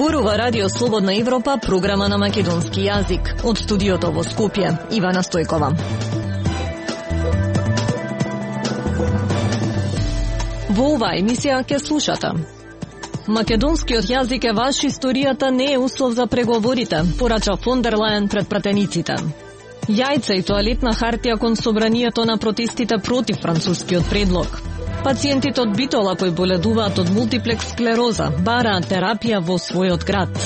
Зборува Радио Слободна Европа, програма на македонски јазик. Од студиото во Скопје, Ивана Стојкова. Во оваа емисија ќе слушате: македонскиот јазик е ваш, историјата не е услов за преговорите, порача фон дер Лајен пред пратениците. Јајца и тоалетна хартија кон собранието на протестите против францускиот предлог. Пациентите од Битола кои боледуваат од мултиплекс склероза бараат терапија во својот град.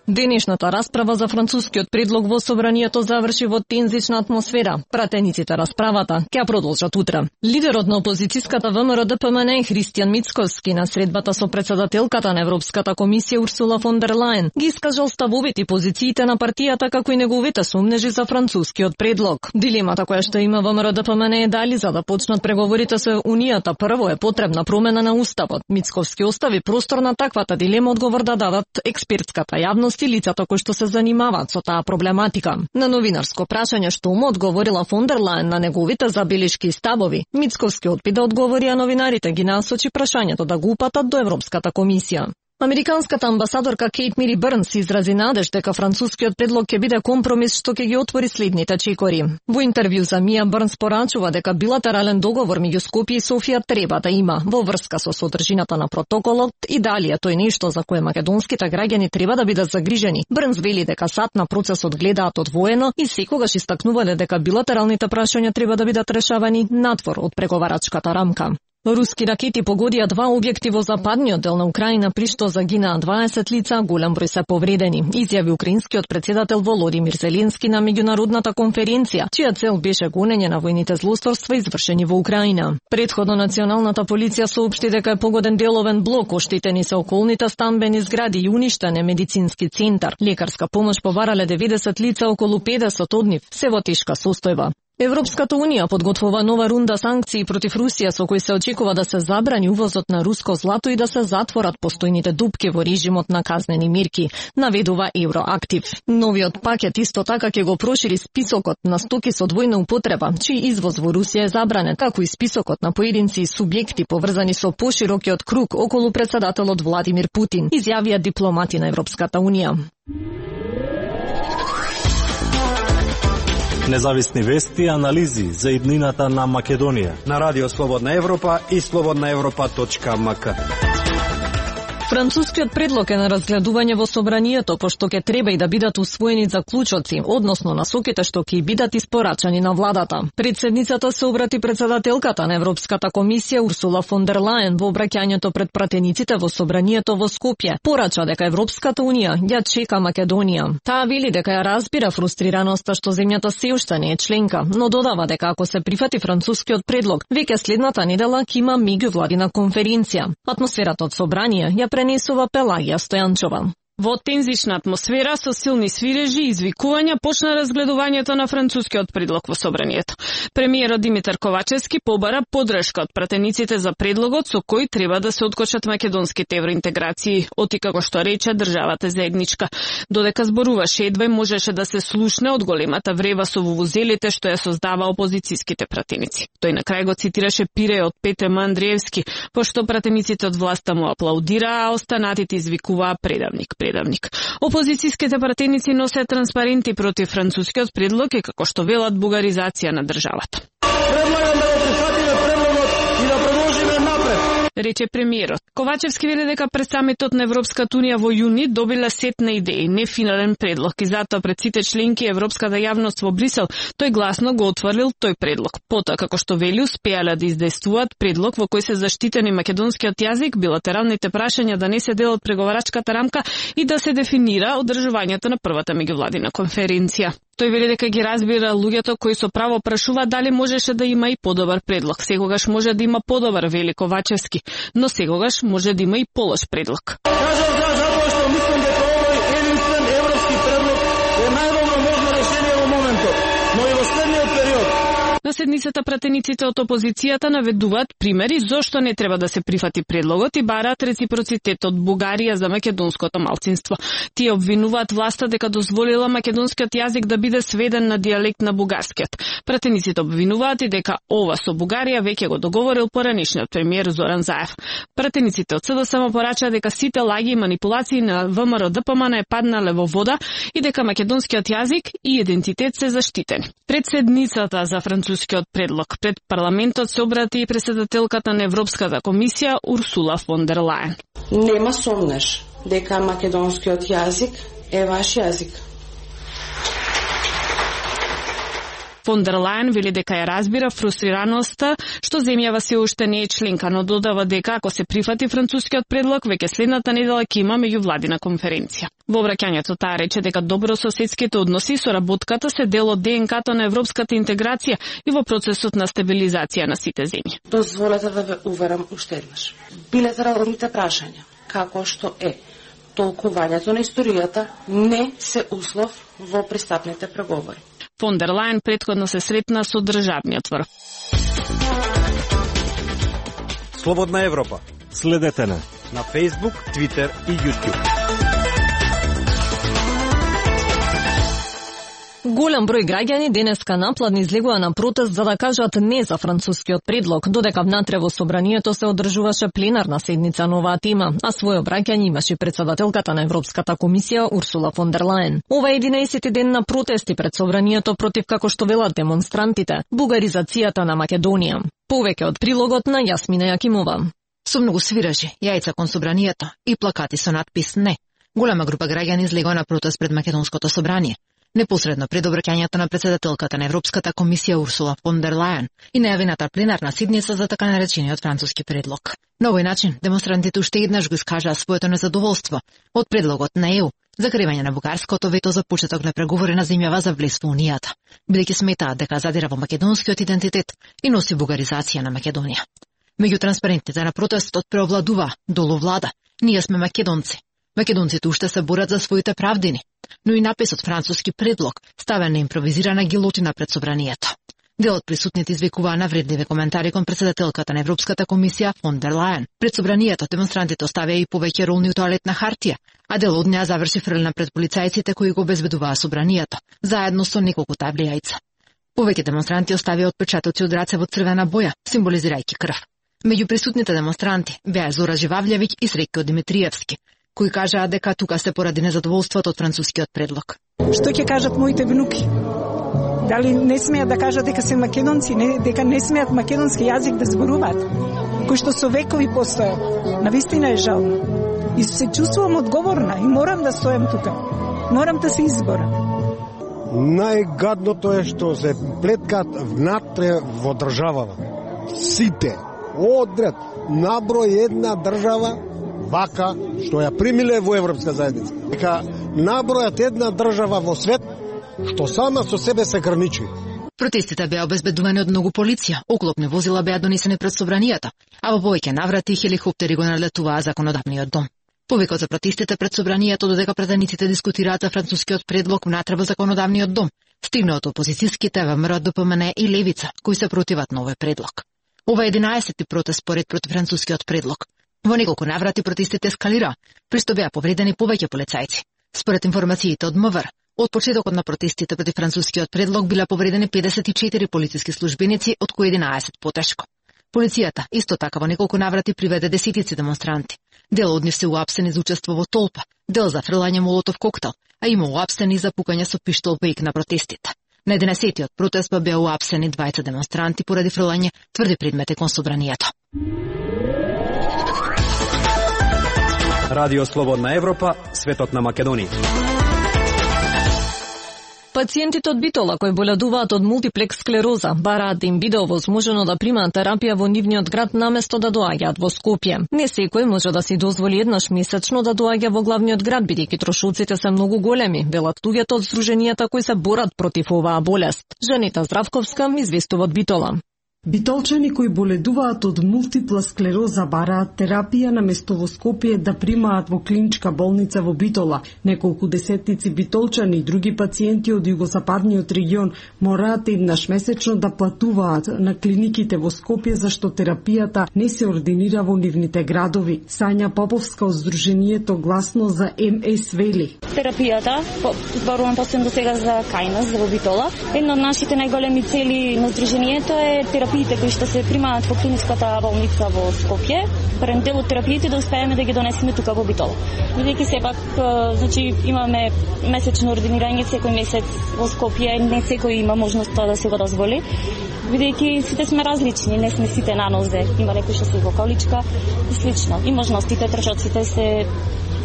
Денешната расправа за францускиот предлог во собранието заврши во тензична атмосфера. Пратениците расправата ќе продолжат утре. Лидерот на опозицијската ВМРО-ДПМН Христијан Мицкоски на средбата со председателката на Европската комисија Урсула фон дер Лајен ги искажал ставовите и позициите на партијата како и неговите сомнежи за францускиот предлог. Дилемата која што има ВМРО-ДПМН е дали за да почнат преговорите со Унијата прво е потребна промена на уставот. Мицковски остави простор на таквата дилема одговор да дадат експертската јавност и лицата кои што се занимаваат со таа проблематика. На новинарско прашање што му одговорила фон дер Лајен на неговите забелешки и ставови, Мицковски одби да одговори, а новинарите ги насочи прашањето да го упатат до Европската комисија. Американската амбасадорка Кейт Мири Бърнс изрази надеж дека францускиот предлог ќе биде компромис што ќе ги отвори следните чекори. Во интервју за Мија Бърнс порачува дека билатерален договор меѓу Скопје и Софија треба да има во врска со содржината на протоколот и дали е тој нешто за кое македонските граѓани треба да бидат загрижени. Бърнс вели дека сад на процесот гледаат одвоено и секогаш истакнувале дека билатералните прашања треба да бидат решавани надвор од преговарачката рамка. Руски ракети погодија два објекти во западниот дел на Украина, при што загинаа 20 лица, голем број се повредени, изјави украинскиот председател Володимир Зеленски на меѓународната конференција, чија цел беше гонење на војните злосторства извршени во Украина. Предходно националната полиција соопшти дека е погоден деловен блок, оштетени се околните стамбени згради и уништен е медицински центар. Лекарска помош побарале 90 лица, околу 50 од нив се во тешка состојба. Европската Унија подготвува нова рунда санкции против Русија со кои се очекува да се забрани увозот на руско злато и да се затворат постојните дупки во режимот на казнени мерки, наведува Евроактив. Новиот пакет исто така ќе го прошири списокот на стоки со двојна употреба, чиј извоз во Русија е забранет, како и списокот на поединци и субјекти поврзани со поширокиот круг околу председателот Владимир Путин, изјавија дипломати на Европската Унија. Независни вести и анализи за иднината на Македонија на Радио Слободна Европа и slobodnaevropa.mk. Францускиот предлог е на разгледување во собранието, пошто ќе треба и да бидат усвоени заклучоци, односно насоките што ќе бидат испорачани на владата. Председницата се обрати председателката на Европската комисија Урсула фон дер Лајен во обраќањето пред пратениците во собранието во Скопје. Порача дека Европската Унија ја чека Македонија. Таа вели дека ја разбира фрустрираноста што земјата се уште не е членка, но додава дека ако се прифати францускиот предлог, веќе следната недела ќе има меѓувладина конференција. Атмосферата од собрание ја пренесува Пелагија Стојанчова. Во тензична атмосфера со силни свирежи и извикувања почна разгледувањето на францускиот предлог во собранието. Премиерот Димитар Ковачевски побара поддршка од пратениците за предлогот со кој треба да се откочат македонските евроинтеграции, оти како што рече државата заедничка. Додека зборуваше, едва можеше да се слушне од големата врева со вувузелите што ја создава опозицијските пратеници. Тој на крај го цитираше пиреот Петре Андриевски, пошто пратениците од власта му аплаудираа, а останатите извикуваа предавник. Опозицијските пратеници носеа транспаренти против францускиот предлог и како што велат бугаризација на државата. Предлагам да го прифатиме предлогот и да продолжиме напред, рече премиерот. Ковачевски вели дека пред самитот на Европската Унија во јуни добила сет на идеи, не финален предлог, и затоа пред сите членки европската јавност во Брисел тој гласно го отврлил тој предлог. Потоа, како што вели, успеале да издействуваат предлог во кој се заштитени македонскиот јазик, билатералните прашања да не се дел од преговарачката рамка и да се дефинира одржувањето на првата меѓувладина конференција. Тој вели дека ги разбира луѓето кои со право прашуваат дали можеше да има и подобар предлог. Секогаш може да има подобар, вели Ковачевски, но секогаш може да има и полош предлог. Кажам затоа што мислам дека овој единствен европски предлог е најдобро можно решение во моментот, но и во следниот период. На седмицата пратениците од опозицијата наведуваат примери зошто не треба да се прифати предлогот и бараат реципроцитет од Бугарија за македонското малцинство. Тие обвинуваат власта дека дозволила македонскиот јазик да биде сведен на дијалект на бугарскиот. Пратениците обвинуваат и дека ова со Бугарија веќе го договорил поранешниот премиер Зоран Заев. Пратениците од СДСМ порачаа дека сите лаги и манипулации на ВМРО ДПМН е паднале во вода и дека македонскиот јазик и идентитет се заштитени. Пред седницата за францускиот предлог пред парламентот се обрати и претседателката на Европската комисија Урсула фон дер Лајен. Нема сомнеш дека македонскиот јазик е ваш јазик. Фон дер Лајен вели дека ја разбира фрустрираноста што земјава се уште не е членка, но додава дека ако се прифати францускиот предлог, веќе следната недела ќе има меѓувладина конференција. Во обраќањето таа рече дека добрососедските односи и соработката се дел од ДНК-то на европската интеграција и во процесот на стабилизација на сите земји. Дозволете да ве уверам уште еднаш. Билатералните прашања, како што е толкувањето на историјата, не се услов во пристапните преговори. Фон дер Лајен претходно се сретна со државниот врв. Слободна Европа. Следете на Facebook, Twitter и YouTube. Голем број граѓани денеска напладни излегува на протест за да кажат не за францускиот предлог, додека внатре во собранието се одржуваше пленарна седница на оваа тема, а своје обраќање имаше председателката на Европската комисија Урсула фон дер Лајен. Ова е 11-ти ден на протести пред собранието против, како што велат демонстрантите, бугаризацијата на Македонија. Повеќе од прилогот на Јасмина Јакимова. Со многу свиражи, јајца кон собранието и плакати со надпис «Не». Голема група граѓани излегува на протест пред Македонското собрание. Непосредно пред обраќањето на председателката на Европската комисија Урсула фон дер Лајен и најавената пленарна седница за така наречениот француски предлог. На овој начин, демонстрантите уште еднаш го искажаа своето незадоволство од предлогот на ЕУ за кривање на бугарското вето за почеток на преговори на земјава за влез во Унијата, бидејќи сметаат дека задира во македонскиот идентитет и носи бугаризација на Македонија. Меѓу транспарентите на протестот преовладува долу влада. Ние сме македонци. Македонците уште се борат за своите правдини, но и написот француски предлог ставен на импровизирана гилотина пред собранието. Дел од присутните извикуваа навредливи коментари кон председателката на Европската комисија фон дер Лајен. Пред собранието демонстрантите оставија и повеќе ролни тоалетна хартија, а дел од неа заврши фрлена пред полицајците кои го обезбедуваа собранието, заедно со неколку табли јајца. Повеќе демонстранти оставија отпечатоци од раце во црвена боја, символизирајќи крв. Меѓу присутните демонстранти беа Зора Живављевиќ и Среќо Димитриевски, кои кажаа дека тука се поради незадоволството од францускиот предлог. Што ќе кажат моите внуки? Дали не смеат да кажат дека се македонци, дека не смеат македонски јазик да зборуваат, кој што со векови постојал? Навистина е жално. И се чувствувам одговорна и морам да стојам тука. Морам да се изборам. Најгадното е што се плеткат внатре во државава. Сите, одред, наброј една држава, вака, што ја примиле во Европска заедница. Дека набројат една држава во свет, што сама со себе се граничи. Протестите беа обезбедувани од многу полиција, оклопни возила беа донесени пред собранието, а во повеќе наврати хеликоптери го налетуваа законодавниот дом. Повикот за протестите пред собранието додека пратениците дискутираат за францускиот предлог внатре во законодавниот дом, стигна од опозицијските ВМРО ДПМН и Левица, кои се противат на овој предлог. Ова е 11-ти протест поред против францускиот предлог. Во неколку наврати протестите ескалира, при што беа повредени повеќе полицајци. Според информациите од МВР, од почетокот на протестите против францускиот предлог биле повредени 54 полициски службеници, од кои 11 потешко. Полицијата исто така во неколку наврати приведе десетици демонстранти. Дел од нив се уапсени за учество во толпа, дел за фрлање молотов коктел, а има уапсени за пукање со пиштол пејк на протестите. На 11-тиот протест беа уапсени 20 демонстранти поради фрлање тврди предмети кон собранието. Радио Слободна Европа, светот на Македонија. Пациентите од Битола кои боледуваат од мултиплекс склероза бараат да им биде овозможено да примаат терапија во нивниот град наместо да доаѓаат во Скопје. Не секој може да си дозволи еднаш месечно да доаѓа во главниот град, бидејќи трошоците се многу големи, велат луѓето од здруженијата кои се борат против оваа болест. Жанета Здравковска известува од Битола. Битолчани кои боледуваат од мултипла склероза бараат терапија наместо во Скопје да примаат во клиничка болница во Битола. Неколку десетници битолчани и други пациенти од југозападниот регион мораат еднаш месечно да платуваат на клиниките во Скопје зашто терапијата не се ординира во нивните градови. Сања Поповска од Сдруженијето Гласно за МС вели: Терапијата, зборувам посебно до сега за Кајнас, за во Битола, една од нашите најголеми цели на Сдруженијето е терапиите кои што се примаат во клиничката болница во Скопје, прен дел од терапиите да успееме да ги донесеме тука во Битола. Бидејќи сепак, значи имаме месечно ординирање секој месец во Скопје, не секој има можност тоа да се го дозволи. Бидејќи сите сме различни, не сме сите на нозе, има некои што се во количка и слично. И можностите, трошоците се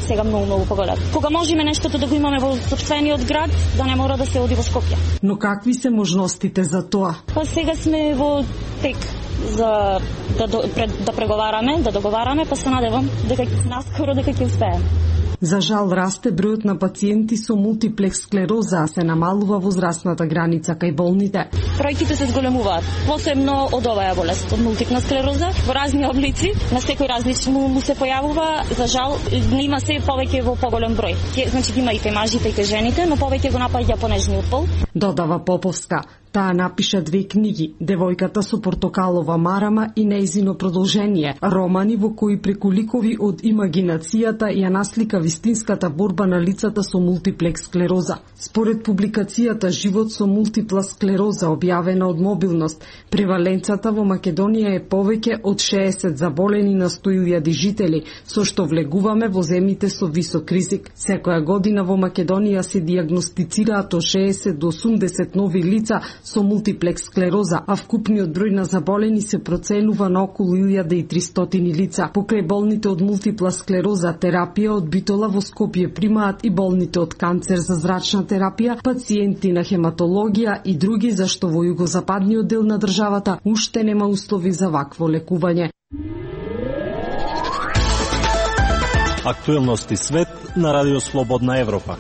сега многу поголеми. Кога можеме нештото да го имаме во сопствениот град, да не мора да се оди во Скопје. Но какви се можностите за тоа? Па сега сме во тек за да преговараме, да договараме, па се надевам дека наскоро дека ќе успееме. За жал расте бројот на пациенти со мултиплекс склероза, а се намалува возрастната граница кај болните. Бројките се зголемуваат, посебно од оваа болест, од мултипна склероза, во разни облици, на секој различно му се појавува. За жал има се повеќе во поголем број. Значи има и кај мажите и кај жените, но повеќе го напаѓа понежниот пол. Додава Поповска. Таа напиша 2 книги: Девојката со портокалова марама и нејзино продолжение, романи во кои преку ликови од имагинацијата ја наслика вистинската борба на лицата со мултиплекс склероза. Според публикацијата Живот со мултипла склероза, објавена од Мобилност, преваленцата во Македонија е повеќе од 60 заболени на 100.000 жители, со што влегуваме во земите со висок ризик. Секоја година во Македонија се дијагностицираат од 60 до 80 нови лица со мултиплекс склероза, а вкупниот број на заболени се проценува на околу 1300 лица. Покрај болните од мултипла склероза, терапија од Битола во Скопје примаат и болните од канцер за зрачна терапија, пациенти на хематологија и други, зашто во југозападниот дел на државата уште нема услови за вакво лекување. Актуелности свет на Радио Слободна Европа.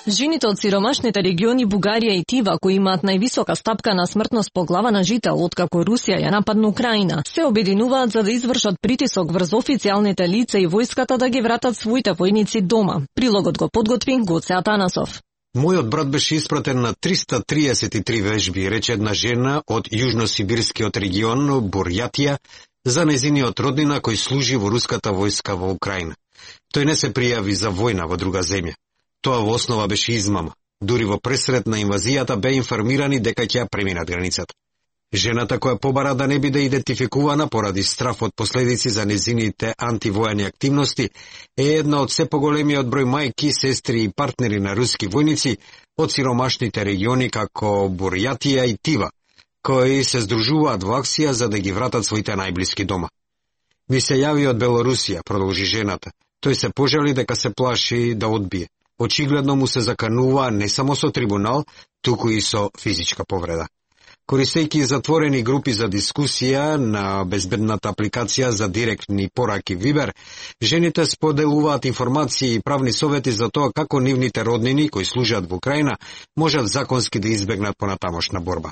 Жените од сиромашните региони Бугарија и Тива, кои имаат највисока стапка на смртност по глава на жител откако Русија ја нападна Украина, се обединуваат за да извршат притисок врз официјалните лица и војската да ги вратат своите војници дома. Прилогот го подготви Гоце Атанасов. Мојот брат беше испратен на 333 вежби, рече една жена од јужносибирскиот регион Бурјатија за нејзиниот роднина кој служи во руската војска во Украина. Тој не се пријави за војна во друга земја. Тоа во основа беше измама. Дури во пресред на инвазијата бе информирани дека ќе ја преминат границата. Жената која побара да не биде идентификувана поради страф од последици за незините антивојни активности е една од се поголемиот број мајки, сестри и партнери на руски војници од сиромашните региони како Бурјатија и Тива, кои се здружуваат во акција за да ги вратат своите најблиски дома. Ми се јави од Белорусија, продолжи жената. Тој се пожали дека се плаши да одбие. Очигледно му се заканува не само со трибунал, туку и со физичка повреда. Користејќи затворени групи за дискусија на безбедната апликација за директни пораки Вибер, жените споделуваат информации и правни совети за тоа како нивните роднини кои служат во Украина можат законски да избегнат понатамошна борба.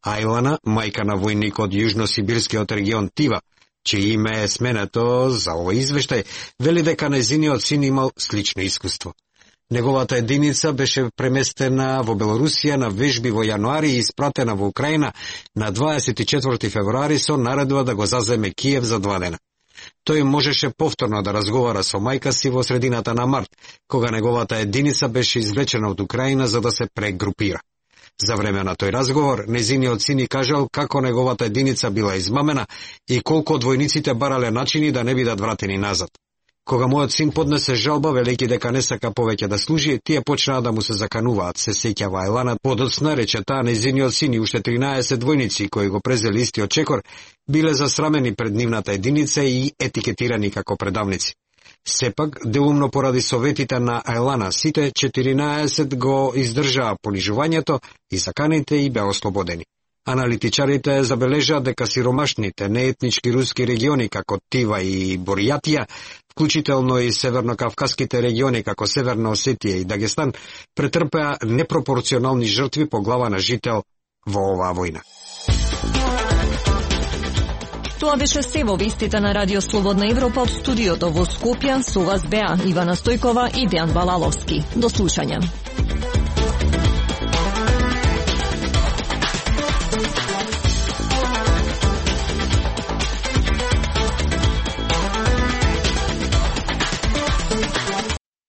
Ајлана, мајка на војник од јужносибирскиот регион Тива, чие име е сменето за овој извештај, вели дека нејзиниот син имал слично искуство. Неговата единица беше преместена во Белорусија на вежби во јануари и испратена во Украина на 24 февруари со наредба да го заземе Киев за 2 дена. Тој можеше повторно да разговара со мајка си во средината на март, кога неговата единица беше извлечена од Украина за да се прегрупира. За време на тој разговор, незиниот син и кажал како неговата единица била измамена и колку од војниците барале начини да не бидат вратени назад. Кога мојот син поднесе жалба, велејќи дека не сака повеќе да служи, тие почнаа да му се закануваат, се сеќава Ајлана. Подоцна рече таа, нејзиниот син и уште 13 војници кои го презели истиот чекор, биле засрамени пред нивната единица и етикетирани како предавници. Сепак, делумно поради советите на Ајлана, сите 14 го издржаа понижувањето и заканите и беа ослободени. Аналитичарите забележаат дека сиромашните неетнички руски региони како Тива и Бурјатија, вклучително и севернокавказските региони како Северна Осетија и Дагестан, претрпеа непропорционални жртви по глава на жител во оваа војна. Тоа беше се во вестите на Радио Слободна Европа од студиото во Скопје. Со вас беа Ивана Стојкова и Дејан Балаловски. До слушање.